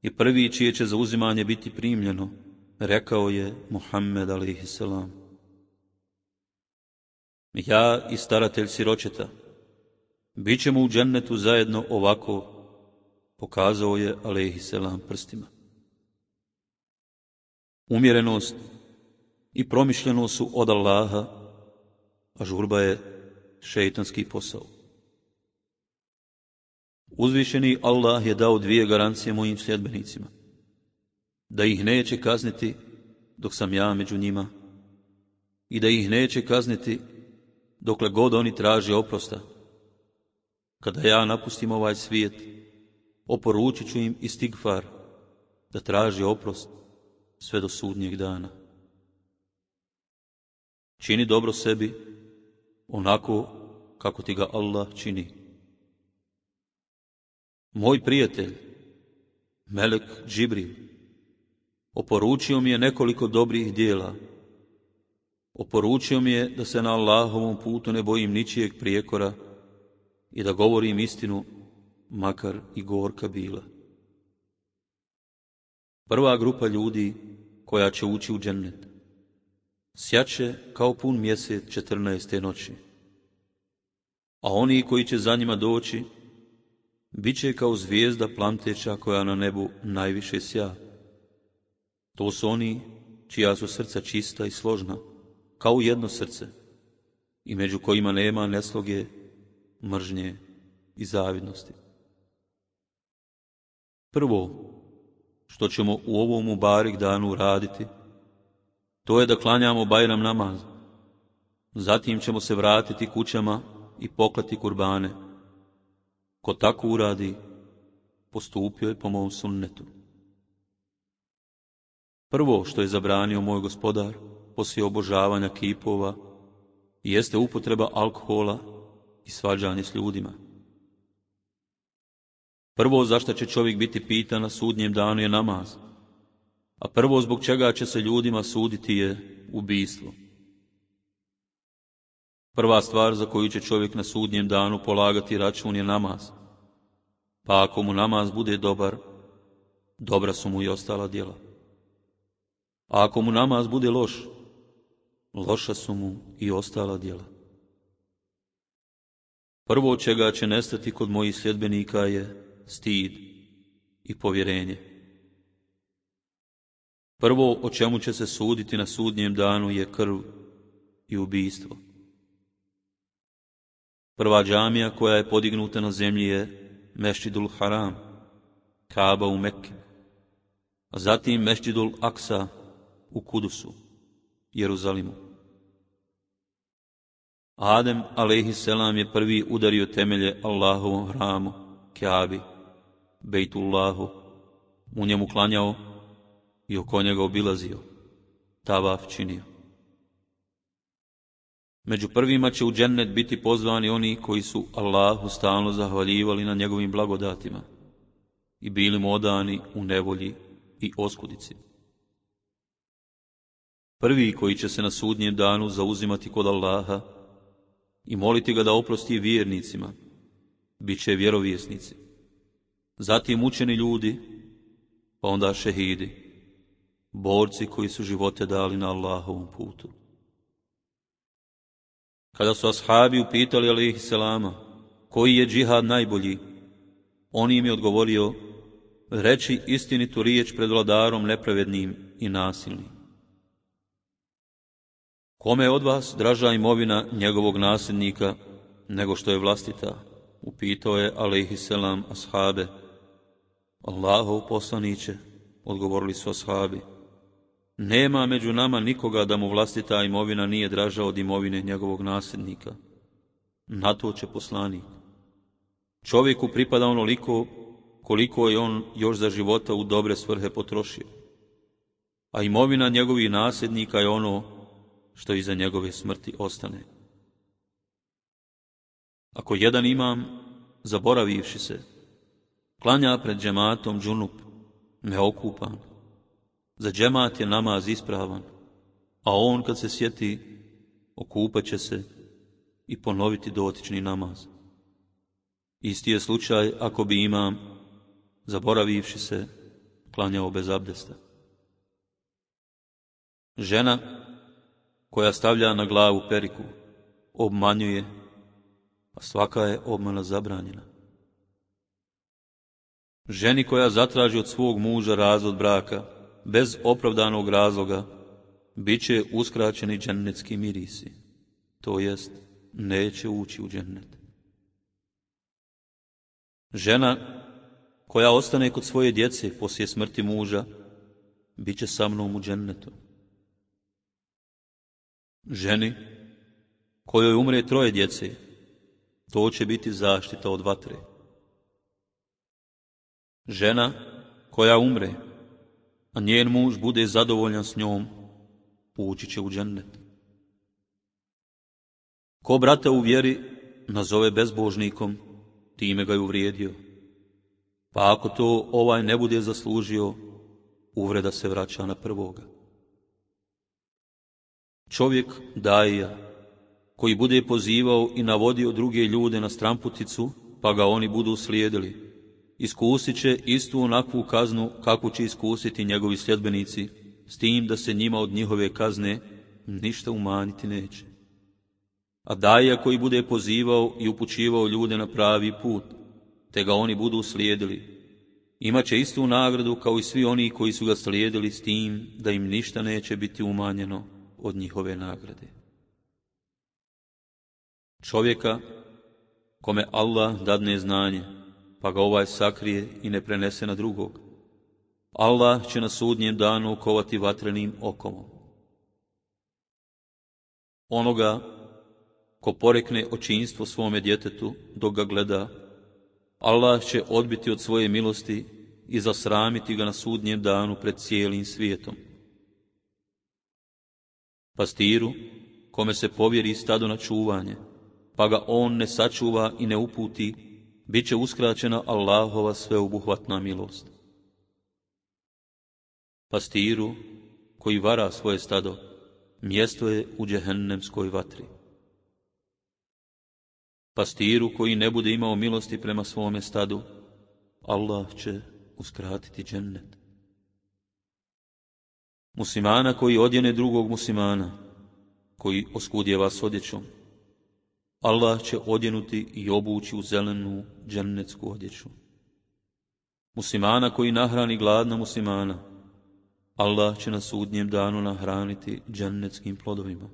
i prvi čije će zauzimanje biti primljeno, rekao je Muhammed alejhiselam. Ja i staratelj siročeta bit ćemo u džennetu zajedno ovako, pokazao je alejhiselam prstima. Umjerenost i promišljenost su od Allaha, a žurba je šeitanski posao. Uzvišeni Allah je dao dvije garancije mojim sljedbenicima, da ih neće kazniti dok sam ja među njima i da ih neće kazniti dokle god oni traže oprosta. Kada ja napustim ovaj svijet, oporučit ću im istigfar, da traži oprost sve do sudnjeg dana. Čini dobro sebi onako kako ti ga Allah čini. Moj prijatelj, melek Džibril, oporučio mi je nekoliko dobrih dijela. Oporučio mi je da se na Allahovom putu ne bojim ničijeg prijekora i da govorim istinu, makar i gorka bila. Prva grupa ljudi koja će ući u džennet sjaće kao pun mjesec 14. noći, a oni koji će za njima doći bit će kao zvijezda plamteća koja na nebu najviše sja. To su oni čija su srca čista i složna, kao jedno srce, i među kojima nema nesloge, mržnje i zavidnosti. Prvo što ćemo u ovom mubarik danu raditi, to je da klanjamo Bajram namaz. Zatim ćemo se vratiti kućama i poklati kurbane. Ko tako uradi, postupio je po mom sunnetu. Prvo što je zabranio moj gospodar poslije obožavanja kipova jeste upotreba alkohola i i svađanje s ljudima. Prvo zašto će čovjek biti pitan na sudnjem danu je namaz, a prvo zbog čega će se ljudima suditi je ubijstvo. Prva stvar za koju će čovjek na sudnjem danu polagati račun je namaz, pa ako mu namaz bude dobar, dobra su mu i ostala djela. A ako mu namaz bude loš, loša su mu i ostala djela. Prvo čega će nestati kod mojih sljedbenika je stid i povjerenje. Prvo o čemu će se suditi na sudnjem danu je krv i ubijstvo. Prva džamija koja je podignuta na zemlji je Mešćidul Haram, Kaaba u Mekke, a zatim Mešćidul Aksa u Kudusu, Jeruzalimu. Adem a.s. je prvi udario temelje Allahovom hramu, Kaabi, Bejtullahu, u njemu klanjao i oko njega obilazio, tavaf činio. Među prvima će u džennet biti pozvani oni koji su Allahu stalno zahvaljivali na njegovim blagodatima i bili mu odani u nevolji i oskudici. Prvi koji će se na sudnjem danu zauzimati kod Allaha i moliti ga da oprosti vjernicima, bit će vjerovjesnici, zatim učeni ljudi, pa onda šehidi, borci koji su živote dali na Allahovom putu. Kada su ashabi upitali alejhiselama koji je džihad najbolji, on im je odgovorio: reći istinitu riječ pred vladarom nepravednim i nasilnim. Kome je od vas draža imovina njegovog nasljednika nego što je vlastita? Upitao je alejhiselam ashabe. Allahov poslaniće, odgovorili su ashabi, nema među nama nikoga da mu vlastita imovina nije draža od imovine njegovog nasljednika. Na to će poslanik: čovjeku pripada onoliko koliko je on još za života u dobre svrhe potrošio, a imovina njegovih nasljednika je ono što iza njegove smrti ostane. Ako jedan imam, zaboravivši se, klanja pred džematom džunup, neokupan, za džemat je namaz ispravan, a on kad se sjeti, okupat će se i ponoviti dotični namaz. Isti je slučaj ako bi imam, zaboravivši se, klanjao bez abdesta. Žena koja stavlja na glavu periku obmanjuje, a svaka je obmana zabranjena. Ženi koja zatraži od svog muža razvod braka bez opravdanog razloga, bit će uskraćeni džennetski mirisi, to jest neće ući u džennet. Žena koja ostane kod svoje djece poslije smrti muža, bit će sa mnom u džennetu. Ženi kojoj umre 3 djece, to će biti zaštita od vatre. Žena koja umre, a njen muž bude zadovoljan s njom, ući će u džennet. Ko brata u vjeri nazove bezbožnikom, time ga je uvrijedio, pa ako to ovaj ne bude zaslužio, uvreda se vraća na prvoga. Čovjek daija, koji bude pozivao i navodio druge ljude na stramputicu, pa ga oni budu slijedili, iskusit će istu onakvu kaznu kakvu će iskusiti njegovi sljedbenici, s tim da se njima od njihove kazne ništa umanjiti neće. A daija koji bude pozivao i upućivao ljude na pravi put, te ga oni budu slijedili, imat će istu nagradu kao i svi oni koji su ga slijedili, s tim da im ništa neće biti umanjeno od njihove nagrade. Čovjeka kome Allah dadne znanje, pa ga ovaj sakrije i ne prenese na drugog, Allah će na sudnjem danu okovati vatrenim okomom. Onoga ko porekne očinstvo svome djetetu dok ga gleda, Allah će odbiti od svoje milosti i zasramiti ga na sudnjem danu pred cijelim svijetom. Pastiru kome se povjeri stado na čuvanje, pa ga on ne sačuva i ne uputi, bit će uskraćena Allahova sveobuhvatna milost. Pastiru koji vara svoje stado, mjesto je u džehennemskoj vatri. Pastiru koji ne bude imao milosti prema svome stadu, Allah će uskratiti džennet. Muslimana koji odjene drugog muslimana, koji oskudjeva s odjećom, Allah će odjenuti i obući u zelenu džennetsku odjeću. Muslimana koji nahrani gladna muslimana, Allah će na sudnjem danu nahraniti džennetskim plodovima.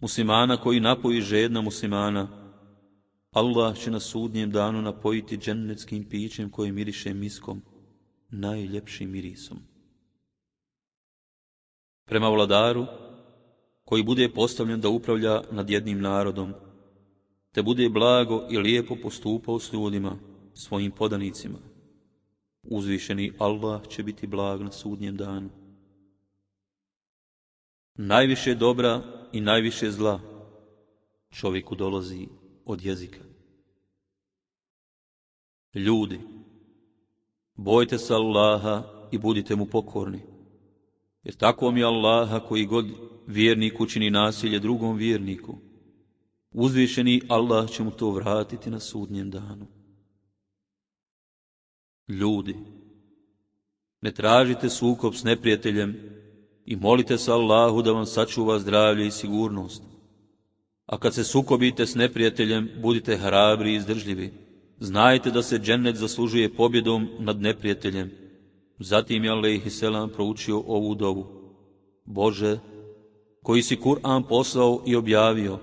Muslimana koji napoji žedna muslimana, Allah će na sudnjem danu napojiti džennetskim pićem koje miriše miskom, najljepšim mirisom. Prema vladaru, koji bude postavljen da upravlja nad jednim narodom, te bude blago i lijepo postupao s ljudima, svojim podanicima, uzvišeni Allah će biti blag na sudnjem danu. Najviše dobra i najviše zla čovjeku dolazi od jezika. Ljudi, bojte se Allaha i budite mu pokorni, jer tako mi Allaha koji god vjernik učini nasilje drugom vjerniku, uzvišeni Allah će mu to vratiti na sudnjem danu. Ljudi, ne tražite sukob s neprijateljem i molite se Allahu da vam sačuva zdravlje i sigurnost. A kad se sukobite s neprijateljem, budite hrabri i izdržljivi. Znajte da se džennet zaslužuje pobjedom nad neprijateljem. Zatim je alejhiselam proučio ovu dovu. Bože, koji si Kur'an poslao i objavio,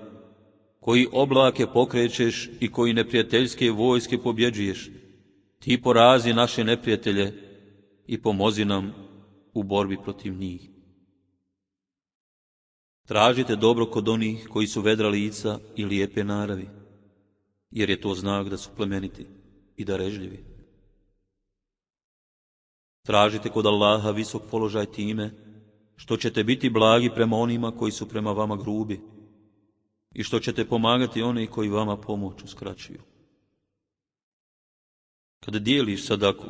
koji oblake pokrećeš i koji neprijateljske vojske pobjeđuješ, ti porazi naše neprijatelje i pomozi nam u borbi protiv njih. Tražite dobro kod onih koji su vedra lica i lijepe naravi, jer je to znak da su plemeniti i darežljivi. Tražite kod Allaha visok položaj time što ćete biti blagi prema onima koji su prema vama grubi i što ćete pomagati one koji vama pomoć uskraćuju. Kada dijeliš sadaku,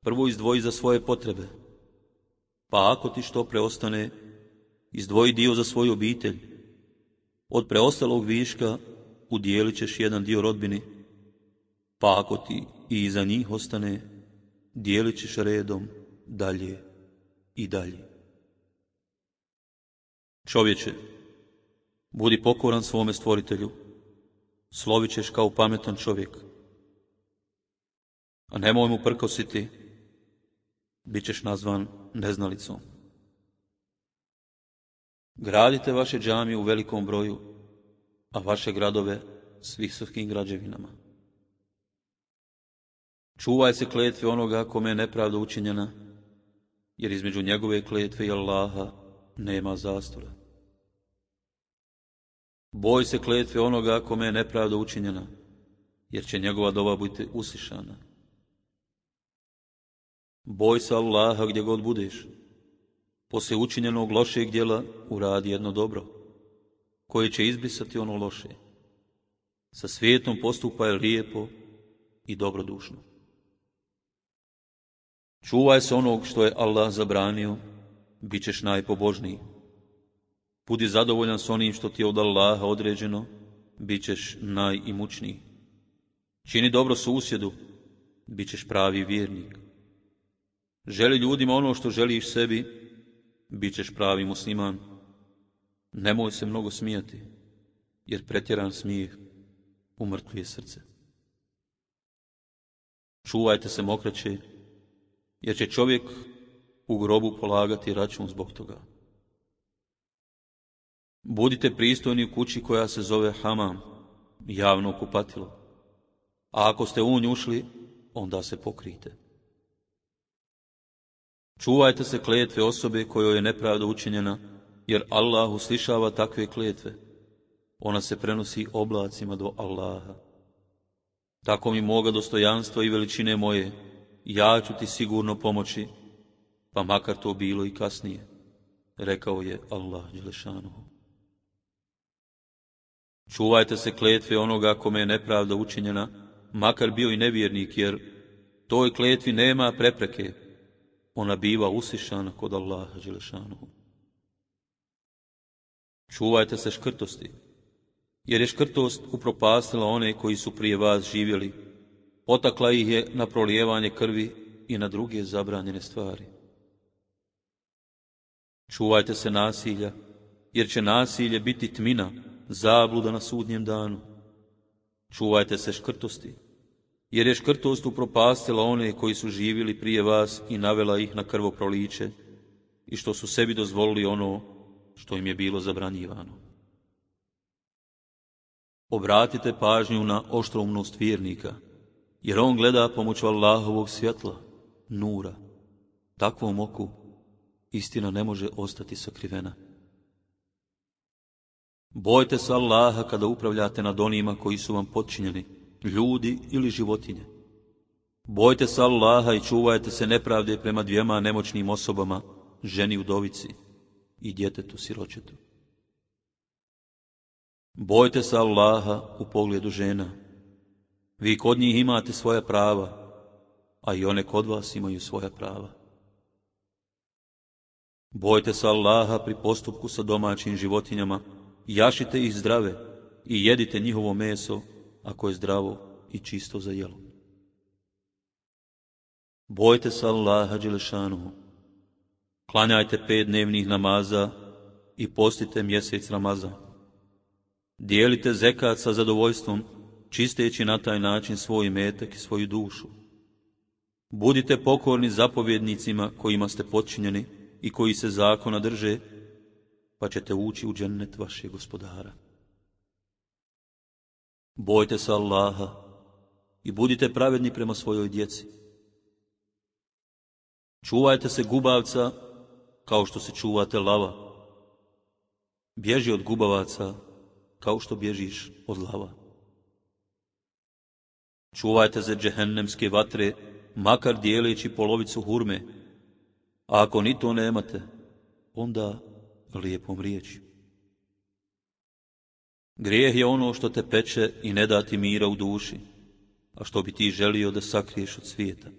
prvo izdvoji za svoje potrebe, pa ako ti što preostane, izdvoji dio za svoju obitelj. Od preostalog viška udijelit ćeš jedan dio rodbini, pa ako ti i iza njih ostane, dijelit ćeš redom dalje i dalje. Čovječe, budi pokoran svome stvoritelju, slovit ćeš kao pametan čovjek, a nemoj mu prkositi, bit ćeš nazvan neznalicom. Gradite vaše džamije u velikom broju, a vaše gradove s visokim građevinama. Čuvaj se kletve onoga kome je nepravda učinjena, jer između njegove kletve i Allaha nema zastora. Boj se kletve onoga kome je nepravda učinjena, jer će njegova dova biti uslišana. Boj se Allaha gdje god budeš. Poslije učinjenog lošeg djela uradi jedno dobro, koje će izbrisati ono loše. Sa svijetom postupaj lijepo i dobrodušno. Čuvaj se onog što je Allah zabranio, bit ćeš najpobožniji. Budi zadovoljan s onim što ti je od Allaha određeno, bit ćeš najimućniji. Čini dobro susjedu, bit ćeš pravi vjernik. Želi ljudima ono što želiš sebi, bit ćeš pravi musliman. Nemoj se mnogo smijati, jer pretjeran smijeh umrtvuje srce. Čuvajte se mokraće, jer će čovjek u grobu polagati račun zbog toga. Budite pristojni u kući koja se zove hamam, javno kupatilo, a ako ste u nju ušli, onda se pokrijte. Čuvajte se kletve osobe kojoj je nepravda učinjena, jer Allah uslišava takve kletve. Ona se prenosi oblacima do Allaha. Tako mi moga dostojanstva i veličine moje, ja ću ti sigurno pomoći, pa makar to bilo i kasnije, rekao je Allah dželešanuhu. Čuvajte se kletve onoga kome je nepravda učinjena, makar bio i nevjernik, jer toj kletvi nema prepreke. Ona biva uslišana kod Allaha dželešanuhu. Čuvajte se škrtosti, jer je škrtost upropastila one koji su prije vas živjeli, potakla ih je na prolijevanje krvi i na druge zabranjene stvari. Čuvajte se nasilja, jer će nasilje biti tmina, zabluda na sudnjem danu. Čuvajte se škrtosti, jer je škrtost upropastila one koji su živjeli prije vas i navela ih na krvoproliće i što su sebi dozvolili ono što im je bilo zabranjivano. Obratite pažnju na oštroumnost vjernika, jer on gleda pomoću Allahovog svjetla, nura. Takvom oku istina ne može ostati sakrivena. Bojte se Allaha kada upravljate nad onima koji su vam potčinjeni, ljudi ili životinje. Bojte se Allaha i čuvajte se nepravde prema dvijema nemoćnim osobama, ženi udovici i djetetu siročetu. Bojte se Allaha u pogledu žena. Vi kod njih imate svoja prava, a i one kod vas imaju svoja prava. Bojte se Allaha pri postupku sa domaćim životinjama, jašite ih zdrave i jedite njihovo meso ako je zdravo i čisto za jelo. Bojte se Allaha dželešanuhu. Klanjajte 5 dnevnih namaza i postite mjesec Ramazan. Dijelite zekat sa zadovoljstvom, čisteći na taj način svoj imetak i svoju dušu. Budite pokorni zapovjednicima kojima ste potčinjeni i koji se zakona drže, pa ćete ući u džennet vašeg gospodara. Bojte se Allaha i budite pravedni prema svojoj djeci. Čuvajte se gubavca kao što se čuvate lava. Bježi od gubavaca kao što bježiš od lava. Čuvajte se džehennemske vatre, makar dijeleći polovicu hurme, a ako ni to nemate, onda lijepom riječju. Grijeh je ono što te peče i ne da ti mira u duši, a što bi ti želio da sakriješ od svijeta.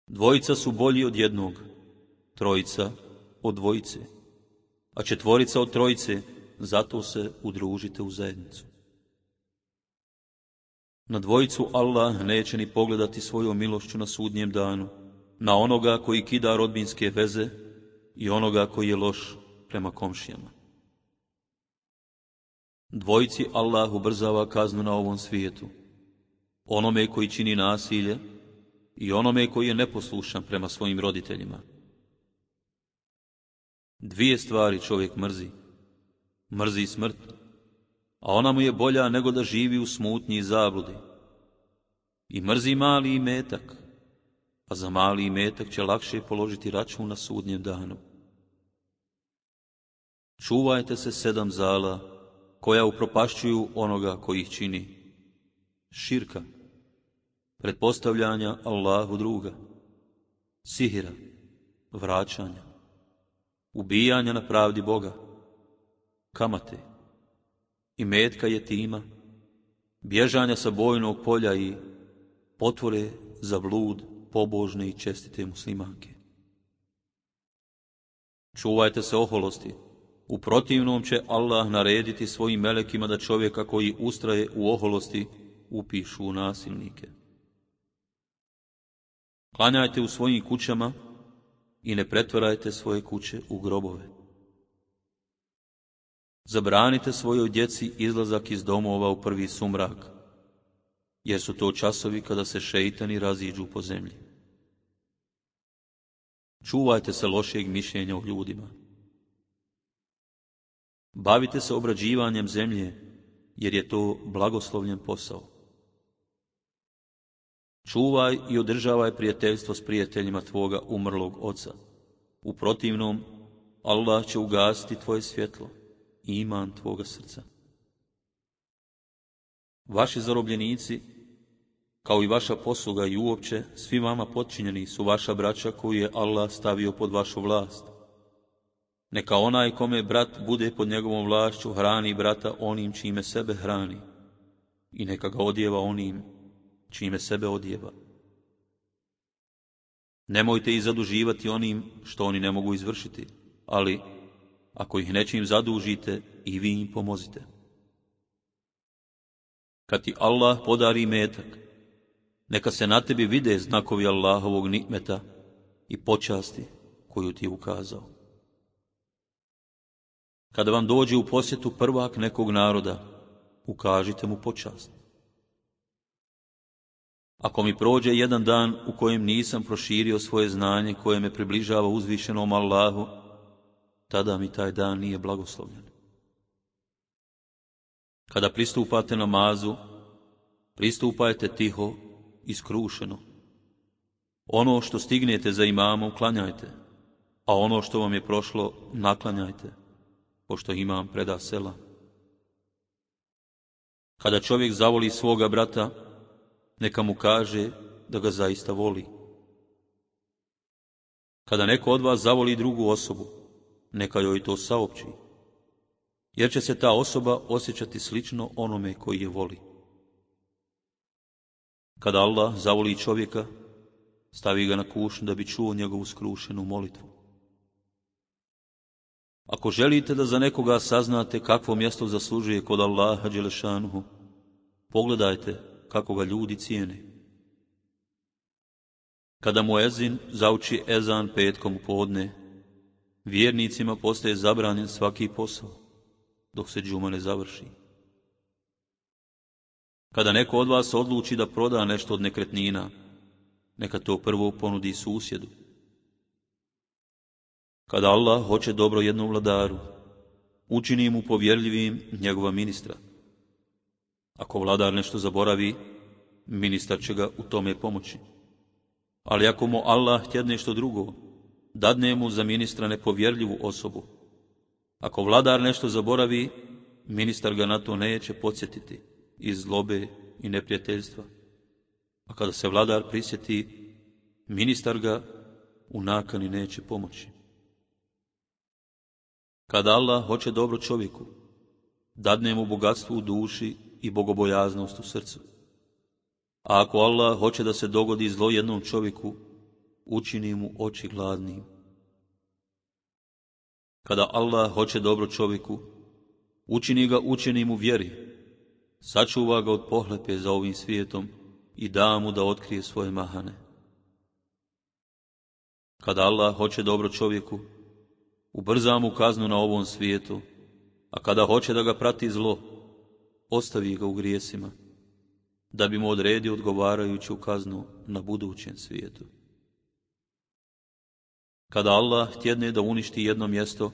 Dvojica su bolji od jednog, trojica od dvojice, a četvorica od trojice, zato se udružite u zajednicu. Na dvojicu Allah neće ni pogledati svojom milošću na sudnjem danu, na onoga koji kida rodbinske veze i onoga koji je loš prema komšijama. Dvojici Allah ubrzava kaznu na ovom svijetu, onome koji čini nasilje i onome koji je neposlušan prema svojim roditeljima. 2 stvari čovjek mrzi. Mrzi smrt, a ona mu je bolja nego da živi u smutnji i zabludi. I mrzi mali imetak, a za mali imetak će lakše položiti račun na sudnjem danu. Čuvajte se 7 zala koja upropašćuju onoga koji ih čini. Širka, pretpostavljanja Allahu druga, sihira, vraćanja, ubijanja na pravdi Boga, kamate, imetka jetima, bježanja sa bojnog polja i potvore za blud pobožne i čestite muslimanke. Čuvajte se oholosti, u protivnom će Allah narediti svojim melekima da čovjeka koji ustraje u oholosti upišu u nasilnike. Klanjajte u svojim kućama i ne pretvarajte svoje kuće u grobove. Zabranite svojoj djeci izlazak iz domova u prvi sumrak, jer su to časovi kada se šeitani raziđu po zemlji. Čuvajte se lošeg mišljenja o ljudima. Bavite se obrađivanjem zemlje, jer je to blagoslovljen posao. Čuvaj i održavaj prijateljstvo s prijateljima tvoga umrlog oca. U protivnom, Allah će ugasiti tvoje svjetlo i iman tvoga srca. Vaši zarobljenici, kao i vaša posluga i uopće, svi vama potčinjeni su vaša braća koju je Allah stavio pod vašu vlast. Neka onaj kome brat bude pod njegovom vlašću hrani brata onim čime sebe hrani i neka ga odjeva onim čime sebe odjeva. Nemojte ih zaduživati onim što oni ne mogu izvršiti, ali ako ih nečim zadužite i vi im pomozite. Kad ti Allah podari metak, neka se na tebi vide znakovi Allahovog nikmeta i počasti koju ti je ukazao. Kada vam dođe u posjetu prvak nekog naroda, ukažite mu počast. Ako mi prođe jedan dan u kojem nisam proširio svoje znanje koje me približava uzvišenom Allahu, tada mi taj dan nije blagoslovljen. Kada pristupate namazu, pristupajte tiho i skrušeno. Ono što stignete za imamom klanjajte, a ono što vam je prošlo naklanjajte, pošto imam preda sela. Kada čovjek zavoli svoga brata, neka mu kaže da ga zaista voli. Kada neko od vas zavoli drugu osobu, neka joj to saopći, jer će se ta osoba osjećati slično onome koji je voli. Kada Allah zavoli čovjeka, stavi ga na kušnju da bi čuo njegovu skrušenu molitvu. Ako želite da za nekoga saznate kakvo mjesto zaslužuje kod Allaha dželešanuhu, pogledajte kako ga ljudi cijene. Kada muezin zauči ezan petkom u podne, vjernicima postaje zabranjen svaki posao, dok se džuma ne završi. Kada neko od vas odluči da proda nešto od nekretnina, neka to prvo ponudi susjedu. Kada Allah hoće dobro jednom vladaru, učini mu povjerljivim njegova ministra. Ako vladar nešto zaboravi, ministar će ga u tome pomoći. Ali ako mu Allah htje nešto drugo, dadne mu za ministra nepovjerljivu osobu. Ako vladar nešto zaboravi, ministar ga na to neće podsjetiti iz zlobe i neprijateljstva. A kada se vladar prisjeti, ministar ga u nakani neće pomoći. Kada Allah hoće dobro čovjeku, dadne mu bogatstvo u duši i bogobojaznost u srcu. A ako Allah hoće da se dogodi zlo jednom čovjeku, učini mu oči gladnim. Kada Allah hoće dobro čovjeku, učini ga učenim u vjeri, sačuva ga od pohlepe za ovim svijetom i da mu da otkrije svoje mahane. Kada Allah hoće dobro čovjeku, ubrza mu kaznu na ovom svijetu, a kada hoće da ga prati zlo, ostavi ga u grijesima, da bi mu odredio odgovarajuću kaznu na budućem svijetu. Kada Allah htjedne da uništi jedno mjesto,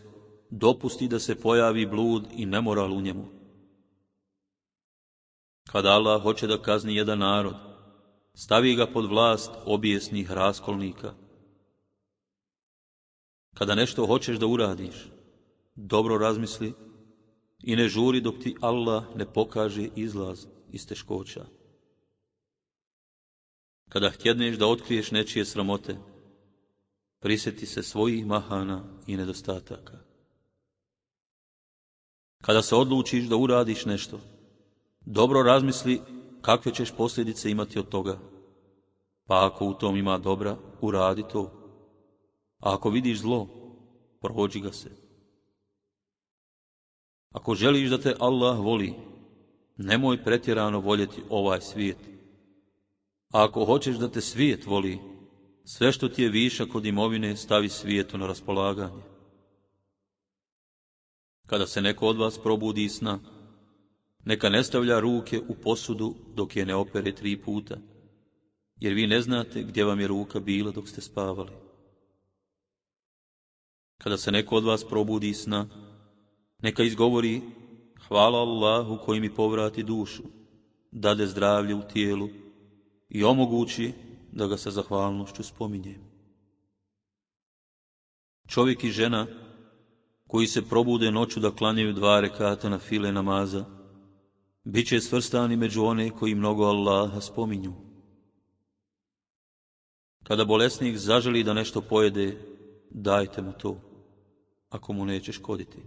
dopusti da se pojavi blud i nemoral u njemu. Kada Allah hoće da kazni jedan narod, stavi ga pod vlast obijesnih raskolnika. Kada nešto hoćeš da uradiš, dobro razmisli i ne žuri dok ti Allah ne pokaže izlaz iz teškoća. Kada htjedneš da otkriješ nečije sramote, prisjeti se svojih mahana i nedostataka. Kada se odlučiš da uradiš nešto, dobro razmisli kakve ćeš posljedice imati od toga. Pa ako u tom ima dobra, uradi to. A ako vidiš zlo, prođi ga se. Ako želiš da te Allah voli, nemoj pretjerano voljeti ovaj svijet. A ako hoćeš da te svijet voli, sve što ti je višak od imovine stavi svijetu na raspolaganje. Kada se neko od vas probudi iz sna, neka ne stavlja ruke u posudu dok je ne opere 3 puta, jer vi ne znate gdje vam je ruka bila dok ste spavali. Kada se neko od vas probudi iz sna, neka izgovori: hvala Allahu koji mi povrati dušu, dade zdravlje u tijelu i omogući da ga sa zahvalnošću spominjem. Čovjek i žena koji se probude noću da klanjaju 2 rekata na file namaza, bit će svrstani među one koji mnogo Allaha spominju. Kada bolesnik zaželi da nešto pojede, dajte mu to. ako mu neće škoditi.